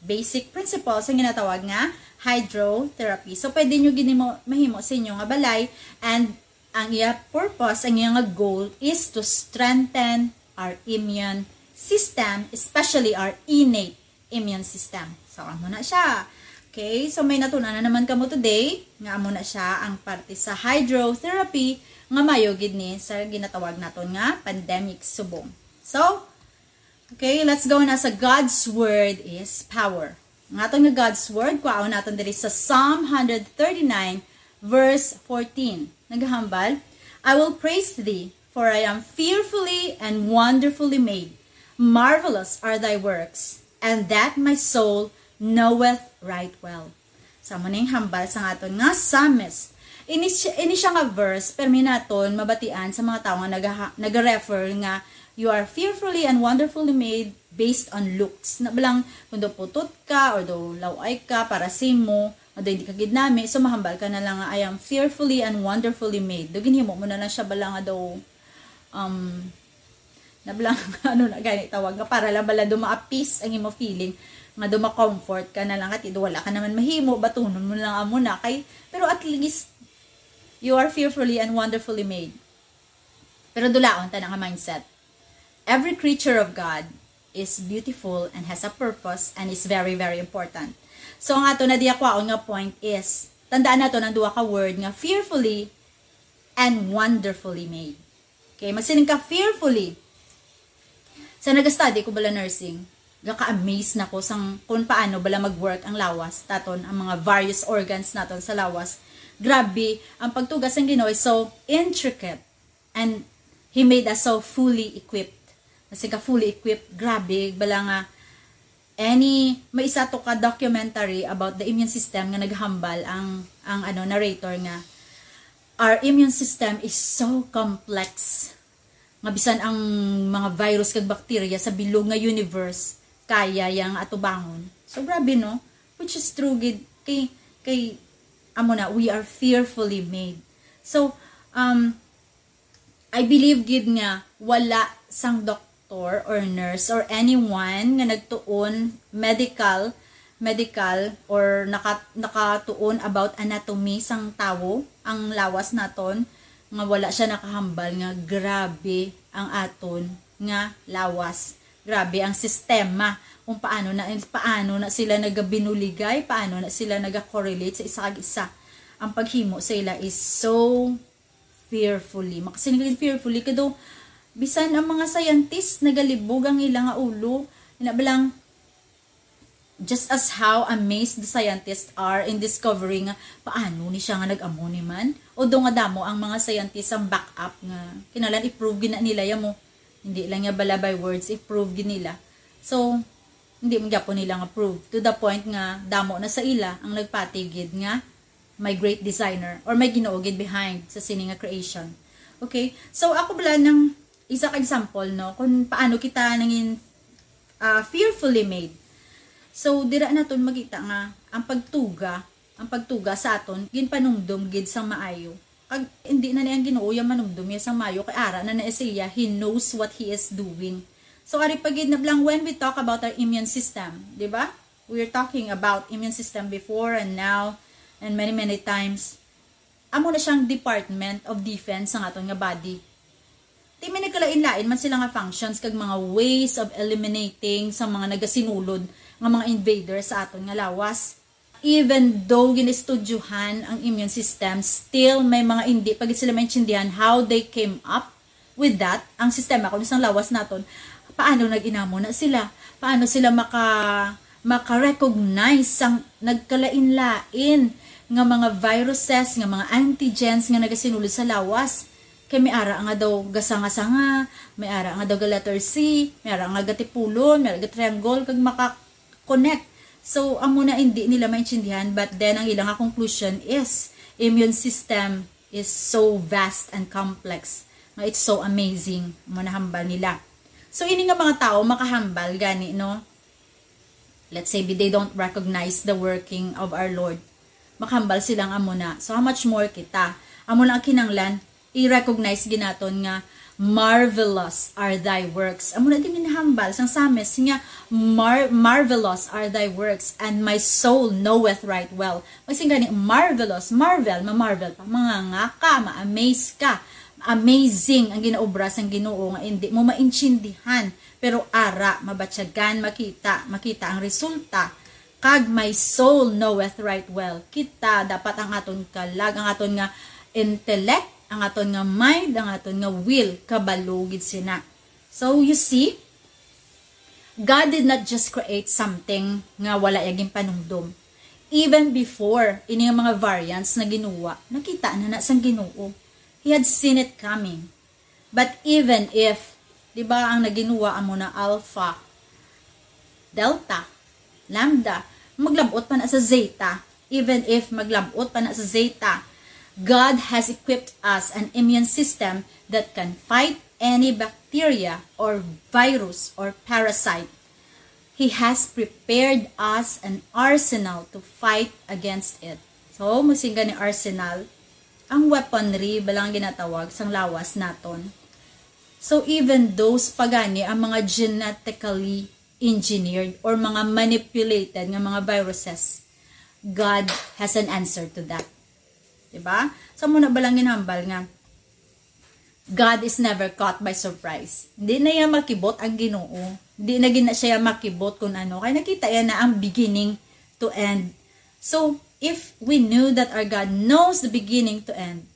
basic principles ang ginatawag nga hydrotherapy. So, pwede nyo gini mo, mahimo sa inyo nga balay, and ang iya purpose, ang iya nga goal is to strengthen our immune system, especially our innate immune system. So, amo na siya. Okay, so may natun-an na naman kamo today nga amo na siya ang parte sa hydrotherapy nga mayo gid ni sa ginatawag naton nga pandemic subong. So, okay, let's go na sa God's Word is Power. Ang aton nga God's Word, kwaon naton diri sa Psalm one thirty-nine, verse fourteen. Naghambal, "I will praise thee, for I am fearfully and wonderfully made. Marvelous are thy works, and that my soul knoweth right well." Sa mo ning hambal sa aton nga psalmist. Ini siya, ini siya nga verse, permi naton mabatian sa mga tawo nga nagaha-, nagarefer nga, "You are fearfully and wonderfully made," based on looks. Na balang, kung daw putot ka, or daw laway ka, para sa imo, nga daw hindi ka gid nami, so mahambal ka na lang nga, "I am fearfully and wonderfully made." Do ginhimo mo na lang siya bala nga daw, um, na bala, ano na gani tawag, nga para lang bala do ma-appease ang imo feeling, nga do ma-comfort ka na lang, kati do wala ka naman mahimo, batunon mo lang amo na kay, pero at least, "You are fearfully and wonderfully made." Pero dulaon ta na nga mindset. Every creature of God is beautiful and has a purpose and is very, very important. So, ang ato na diya kwaon nga point is, tandaan nato ang duha ka word nga fearfully and wonderfully made. Okay, magsiling ka fearfully. Sa nag-study ko bala nursing, gaka-amaze na ko sang kung paano bala mag-work ang lawas naton, ang mga various organs naton sa lawas. Grabe, ang pagtugas ng Ginoo is so intricate. And He made us so fully equipped. Kasi ka fully equipped, grabe, bala nga, any, may isa to ka documentary about the immune system nga naghambal ang, ang ano, narrator nga, "Our immune system is so complex nga bisan ang mga virus kag bacteria sa bilog nga universe, kaya yang atubangon." So, grabe, no? Which is true gid. Kay, kay, amo na, we are fearfully made. So, um, I believe gid nga wala sang doktor or nurse or anyone nga nagtuon medical, medical or naka-, nakatuon about anatomy sang tawo, ang lawas naton, nga wala siya nakahambal nga grabe ang aton nga lawas. Grabe ang sistema, kung paano na, paano na sila nagabinuligay, paano na sila nagakorelate sa isa kag isa. Ang paghimo sa ila is so fearfully. Makasiling fearfully kado, bisan ang mga scientist nagalibog ang ila nga ulo. Ina ba lang, Just as how amazed the scientists are in discovering nga paano ni siya nga nag-amo ni man. Although nga damo ang mga scientists ang back up nga kinahanglan i-prove gid na nila ya mo. Hindi lang ya bala by words, i-prove gid nila. So, hindi man gyapon nila nga prove. To the point nga damo na sa ila ang nagpati gid nga may great designer or may Ginoo gid behind sa sini nga creation. Okay? So, ako bala nang isa ka example, no, kung paano kita nangin ah, fearfully made. So, dira naton makita nga ang pagtuga, ang pagtuga sa aton ginpanumdom gid sang maayo. Kag hindi na ni ang Ginoo ya manumdom ya sang maayo, kay ara na na siya, he knows what he is doing. So, ari pa gid na bala nga when we talk about our immune system, di ba? We are talking about immune system before and now and many, many times. Amo na siyang Department of Defense sang aton nga body. Ti may nagkalain-lain man sila nga functions kag mga ways of eliminating sa mga nagasinulod nga mga invader sa aton nga lawas. Even though gin-estudyohan ang immune system, still may mga hindi pa gid sila maintindihan how they came up with that. Ang sistema kuno sang lawas naton, paano nag-inamo na sila? Paano sila maka maka-recognize sang nagkalain-lain nga mga viruses, nga mga antigens nga nagasinulod sa lawas? Kay may ara nga daw gasanga-sanga, may ara nga daw ga letter C, may ara nga gatipulon, may ara ga-triangle, kag maka-connect. So, amo na hindi nila maintindihan, but then ang ilang conclusion is immune system is so vast and complex nga it's so amazing. Amo na hambal nila. So, ini nga mga tao makahambal gani, no? Let's say, they don't recognize the working of our Lord. Makahambal sila nga amo na. So, how much more kita? Amo na ang kinahanglan, i-recognize gid naton nga marvelous are thy works. Amo na din ginahambal sang Psalmist nga mar- marvelous are thy works, and my soul knoweth right well. Magsing gani, marvelous, marvel, ma-marvel pa, mangangaka, ma-amaze ka. Amazing ang ginaobra sang Ginoo nga hindi mo maintindihan, pero ara, mabatyagan, makita, makita ang resulta. Kag my soul knoweth right well. Kita, dapat ang aton kalag, ang aton nga intellect, ang aton nga mind, ang aton nga will, kabalo gid sina. So, you see, God did not just create something nga wala ya ginpanumdom. Even before ini nga mga variants na ginuwa, nakita na na sang Ginoo. He had seen it coming. But even if, di ba, ang naginuwa amo na Alpha, Delta, Lambda, maglabot pa na sa Zeta, even if maglabot pa na sa Zeta, God has equipped us an immune system that can fight any bacteria or virus or parasite. He has prepared us an arsenal to fight against it. So, magsing gani arsenal, ang weaponry, bala nga ginatawag sang lawas naton. So, even those pa gani ang mga genetically engineered or mga manipulated nga mga viruses, God has an answer to that. Diba? So, amo na bala nga ginhambal nga God is never caught by surprise. Hindi na iya makibot ang Ginoo. Hindi na gid na siya makibot kung ano. Kay nakita iya na ang beginning to end. So, if we knew that our God knows the beginning to end,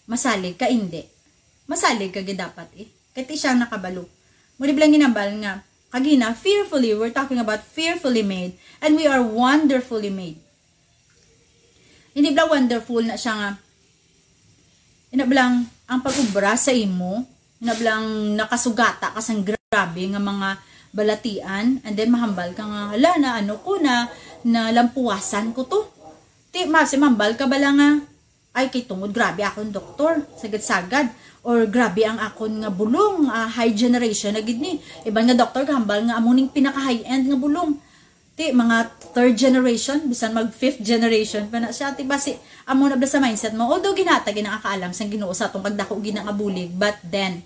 masalig ka, hindi. Masalig ka gid dapat eh. Kay ti siya nakabalo. Mao di bala nga ginhambal nga, kagina, fearfully, we're talking about fearfully made, and we are wonderfully made. Hindi bala wonderful na siya nga, ina bala ang, ang pag-ubra sa imo, ina bala ang nakasugata ka sang grabe nga mga balatian, and then mahambal ka nga, "Hala, na ano ko, na, nalampuwasan ko to." Ti, mas, mahambal ka bala nga, "Ay, kay tungod grabe akon doktor, sagad-sagad," or, "Grabe ang akon nga bulong, ah, high generation na gid ni." Iban nga doktor gahambal nga amo ning pinaka high-end nga bulong. Ti, mga third generation, bisan mag fifth generation pa na siya. Ti, basi, amo na bala sa mindset mo. Although, ginhatag gid na ang kaalam sang Ginoo sa atong pagdako gid na nga bulig, but then,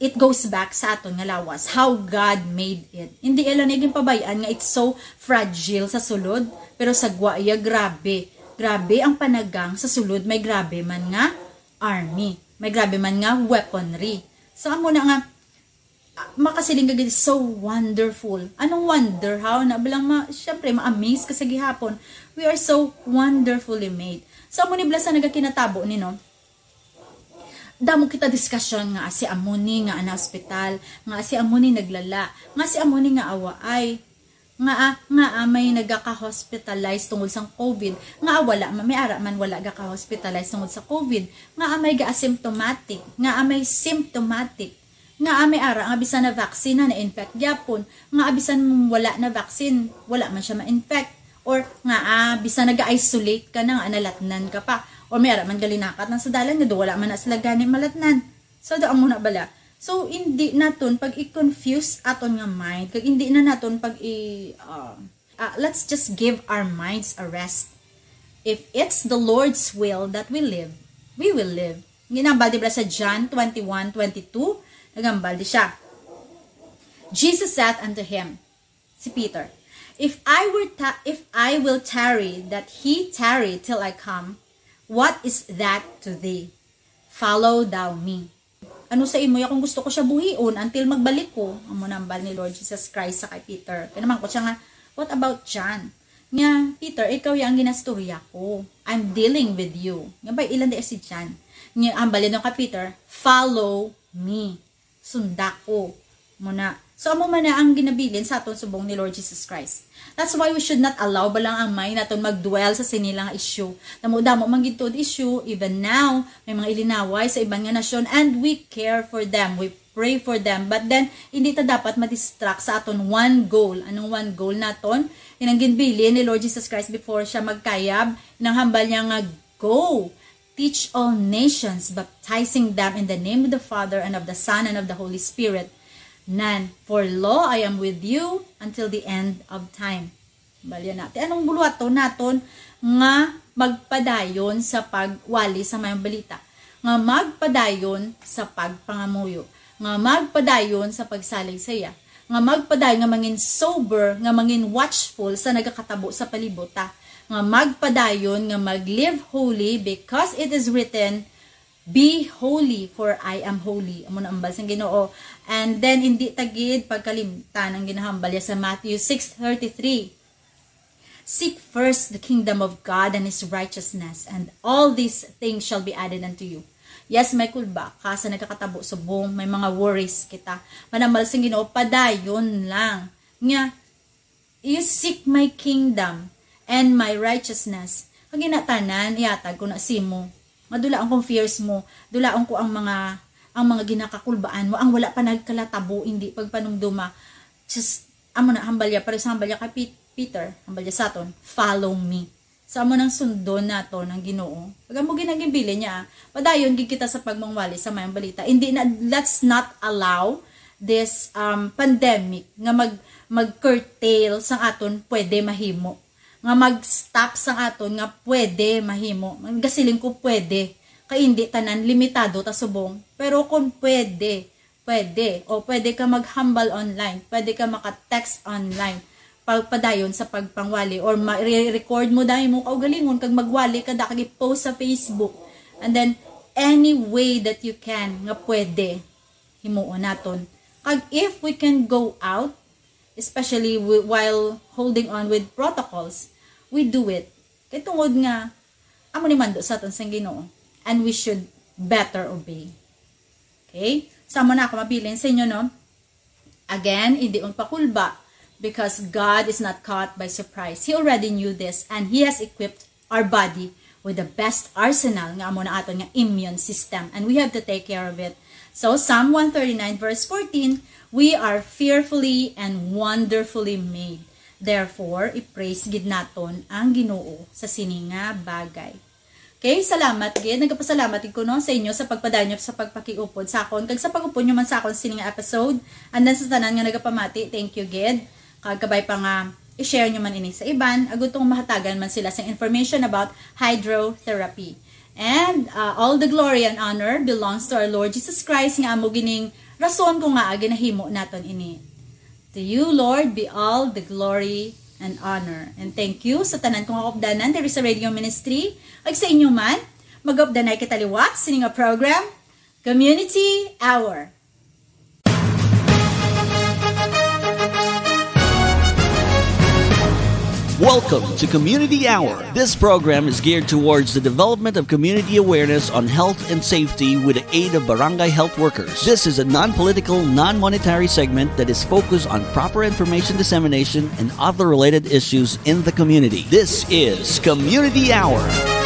it goes back sa aton nga lawas, how God made it. Hindi ila ni ginpabay-an nga it's so fragile sa sulod, pero sa gwa iya, grabe. Grabe ang panagang sa sulod, may grabe man nga army, may grabe man nga weaponry. So, amo na nga, ah, makasiling ka gid, "So wonderful." Anong wonder? How na bala nga ma-, syempre, ma-amaze ka sa gihapon. We are so wonderfully made. So, amo ni bala sa nagakinatabo ni, no? Damo kita diskusyon nga si amo ni nga ana ospital, nga si amo ni naglala, nga si amo ni nga awaay. Nga, nga may nagaka-hospitalize tungod sang covid, nga wala man, may ara man wala gaka-hospitalize tungod sa covid, nga may ga-asymptomatic, nga may symptomatic, nga may ara nga bisan na vaccine na na-infect gyapon, nga bisan wala na vaccine, wala man siya ma-infect, or nga ah, bisan nag-isolate ka na nga nalatnan ka pa, or may ara man galinakat na sa dalan nga do wala man na sila gani malatnan. So, do amo na bala. So, hindi naton pag i-confuse aton nga mind, kag hindi na naton pag i uh, uh, let's just give our minds a rest. If it's the Lord's will that we live, we will live. Ginambal di ba sa John twenty-one twenty-two? Nagambal di siya. Jesus said unto him, si Peter, "If I were ta- if I will tarry that he tarry till I come, what is that to thee? Follow thou me." Ano sa imo ya kung gusto ko siya buhion until magbalik ko? Amo nambal ni Lord Jesus Christ sa kay Peter. Kaya naman ko siya nga, "What about John?" Nga, "Peter, ikaw ya ang ginastorya ko. I'm dealing with you." Nga ba, ilan di si John? Nga, ang balin ka, Peter, "Follow me." Sunda ko. Muna. So, amo man na ang ginabilin sa aton subong ni Lord Jesus Christ. That's why we should not allow ba lang ang mind naton mag-dwell sa sini lang nga issue. Damo-damo man gid tuod issue, even now, may mga ilinaway sa iban nga nasyon, and we care for them, we pray for them. But then, hindi ta dapat ma-distract sa aton one goal. Anong one goal naton? Inang ginbilin ni Lord Jesus Christ before siya magkayab, inang hambal niya nga, "Go, teach all nations, baptizing them in the name of the Father and of the Son and of the Holy Spirit." Nan, "For lo, I am with you until the end of time." Balya na. Ti anong buluhaton naton nga magpadayon sa pagwali sa mayong balita, nga magpadayon sa pagpangamuyo, nga magpadayon sa pagsalig sa iya, nga magpadayon, nga mangin sober, nga mangin watchful sa nagakatabo sa palibot ta, nga magpadayon, nga mag-live holy, because it is written, "Be holy, for I am holy." Amo na ambal sang Ginoo. And then, hindi ta gid pagkalimtan ang ginahambal niya sa Matthew six thirty-three. "Seek first the kingdom of God and his righteousness, and all these things shall be added unto you." Yes, may kulba ka sa nagakatabo subong, may mga worries kita. Manambal sang Ginoo, padayon lang. Nga, "You seek my kingdom and my righteousness." Kag ina tanan, ihatag ko na simo. Madulaon kong fears mo, dulaon ko ang mga, ang mga ginakakulbaan mo, ang wala pa nagkalatabo, hindi pagpanumduma. Just, amo na, hambalya, pares hambalya kay Pet-, Peter, hambalya sa aton, "Follow me." So, amo nang sundon nato ng Ginoo. Pag amo ginagimbilin niya, ah, padayon gid kita sa pagmangwali sa mayang balita. Hindi na, let's not allow this, um, pandemic nga mag, mag-curtail sang aton pwede mahimo, nga mag-stop sang aton nga pwede mahimo. Gasiling ko pwede, kay hindi tanan, limitado ta subong. Pero kung pwede, pwede. O pwede ka maghambal online, pwede ka maka-text online, pagpadayon sa pagpangwali, or ma-, re-record mo dahil mo kaugalingon kag magwali ka da kag i-post sa Facebook. And then, any way that you can nga pwede, himuon naton. Kag if we can go out, especially wi-, while holding on with protocols, we do it. Kay tungod nga, amo ni mando sa aton sang Ginoo, and we should better obey. Okay? Sa amo na ako mabilin sa inyo, no? Again, hindi magpakulba, because God is not caught by surprise. He already knew this, and He has equipped our body with the best arsenal, nga amo na aton nga immune system, and we have to take care of it. So, Psalm one thirty-nine verse fourteen, "We are fearfully and wonderfully made." Therefore, i-praise gid naton ang Ginoo sa sini nga bagay. Okay, salamat gid. Nagapasalamat gid ko, no, sa inyo sa pagpadayon sa pagpakiupod sa akon kag sa pag-upod nyo man sa akon sini nga episode. And then sa tanan nga nagapamati, thank you gid. Kag kabay pa nga i-share nyo man ini sa iban, agud tong mahatagan man sila sa information about hydrotherapy. And, uh, all the glory and honor belongs to our Lord Jesus Christ, nga amo gining rason kung ngaa ginahimo naton ini. To you, Lord, be all the glory and honor. And thank you sa tanan kong kaupdanan diri sa Radio Ministry. Ag sa inyo man, mag-updanay kita liwat sini nga program, Community Hour. Welcome to Community Hour. This program is geared towards the development of community awareness on health and safety with the aid of barangay health workers. This is a non-political, non-monetary segment that is focused on proper information dissemination and other related issues in the community. This is Community Hour.